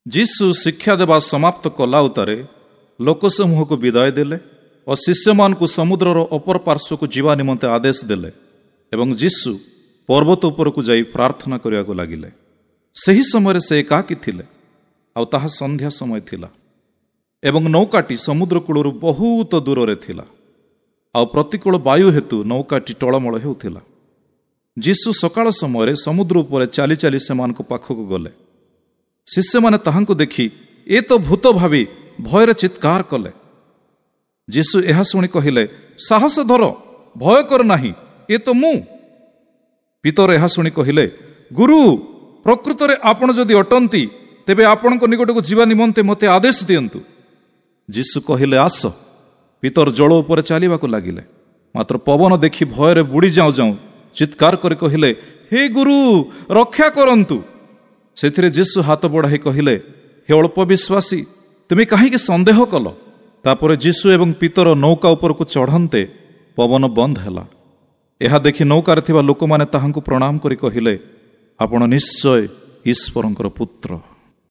ଯୀଶୁ ଶିକ୍ଷା ଦେବା ସମାପ୍ତ କଲା ଉତ୍ତାରେ ଲୋକସମୂହକୁ ବିଦାୟ ଦେଲେ ଓ ଶିଷ୍ୟମାନଙ୍କୁ ସମୁଦ୍ରର ଅପର ପାର୍ଶ୍ୱକୁ ଯିବା ନିମନ୍ତେ ଆଦେଶ ଦେଲେ ଏବଂ ଯୀଶୁ ପର୍ବତ ଉପରକୁ ଯାଇ ପ୍ରାର୍ଥନା କରିବାକୁ ଲାଗିଲେ। ସେହି ସମୟରେ ସେ ଏକାକୀ ଥିଲେ, ଆଉ ତାହା ସନ୍ଧ୍ୟା ସମୟ ଥିଲା ଏବଂ ନୌକାଟି ସମୁଦ୍ର କୂଳରୁ ବହୁତ ଦୂରରେ ଥିଲା, ଆଉ ପ୍ରତିକୂଳ ବାୟୁ ହେତୁ ନୌକାଟି ଟଳମଳ ହେଉଥିଲା। ଯୀଶୁ ସକାଳ ସମୟରେ ସମୁଦ୍ର ଉପରେ ଚାଲି ଚାଲି ସେମାନଙ୍କ ପାଖକୁ ଗଲେ। ଶିଷ୍ୟମାନେ ତାହାଙ୍କୁ ଦେଖି ଏ ତ ଭୂତ ଭାବି ଭୟରେ ଚିତ୍କାର କଲେ। ଯୀଶୁ ଏହା ଶୁଣି କହିଲେ, ସାହସ ଧର, ଭୟ କର ନାହିଁ, ଏ ତ ମୁଁ। ପିତର ଏହା ଶୁଣି କହିଲେ, ଗୁରୁ, ପ୍ରକୃତରେ ଆପଣ ଯଦି ଅଟନ୍ତି ତେବେ ଆପଣଙ୍କ ନିକଟକୁ ଯିବା ନିମନ୍ତେ ମୋତେ ଆଦେଶ ଦିଅନ୍ତୁ। ଯୀଶୁ କହିଲେ, ଆସ। ପିତର ଜଳ ଉପରେ ଚାଲିବାକୁ ଲାଗିଲେ, ମାତ୍ର ପବନ ଦେଖି ଭୟରେ ବୁଡ଼ି ଯାଉଁ ଯାଉଁ ଚିତ୍କାର କରି କହିଲେ, ହେ ଗୁରୁ, ରକ୍ଷା କରନ୍ତୁ। ସେଥିରେ ଯୀଶୁ ହାତ ବଢ଼ାଇ କହିଲେ, ହେ ଅଳ୍ପ ବିଶ୍ୱାସୀ, ତୁମେ କାହିଁକି ସନ୍ଦେହ କଲ? ତାପରେ ଯୀଶୁ ଏବଂ ପିତର ନୌକା ଉପରକୁ ଚଢ଼ନ୍ତେ ପବନ ବନ୍ଦ ହେଲା। ଏହା ଦେଖି ନୌକାରେ ଥିବା ଲୋକମାନେ ତାହାଙ୍କୁ ପ୍ରଣାମ କରି କହିଲେ, ଆପଣ ନିଶ୍ଚୟ ଈଶ୍ୱରଙ୍କର ପୁତ୍ର।